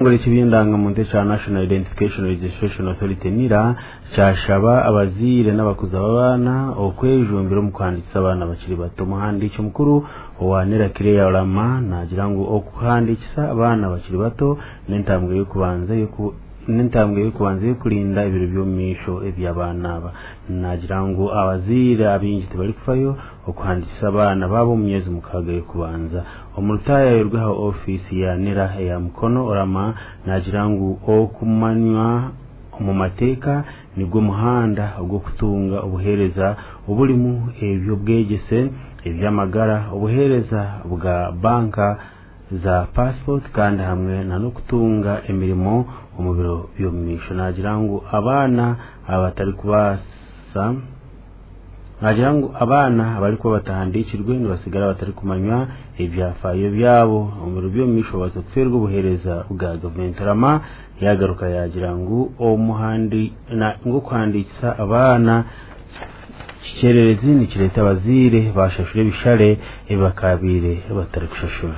Ekitongore ky'ebyendangamuntu ekya National Identification Registration Authority NIRA kyashaba abazaire n'abakuza b'abaana okwejumbira omu kuhandiikisa abaana bakiri bato. Omuhandiiki omukuru owa NIRA Claire Orama naagira ngu okuhandiikisa abaana bakiri bato n'entambwe y'okubanza y'oku n'entambwe y'okubanza y'okurinda ebiro by'omu maisho eby'abaana aba. Naagira ngu abazaire abaingi tibarikufayo okuhandiikisa abaana baabo omu myezi 6 y'okubanza. Omu rutaayayo rw'aha ofiisi ya NIRA eya Mukono, Orama naagira ngu okumanywa omu mateeka nigwo muhanda ogw'okutunga obuheereza oburimu eby'obwegyese, eby'amagara, obuheereza bwa banka, za pasipoti kandi hamwe n'okutunga emirimo omu biro by'omu maisho. Naagira ngu abaana abatarikubaasa naagira ngu abaana abarikuba batahandiikirwe nibasigara batarikumanywa ebyafaayo byabo omu biro by'omu maisho babaasa kufeerwa obuheereza bwa gavumenti. Rama yaagaruka yaagira ngu omuhandi ngu okuhandiikisa abaana kikyererezi nikireeta abazaire bashashura ebishare ebi bakaabaire batarikushashura.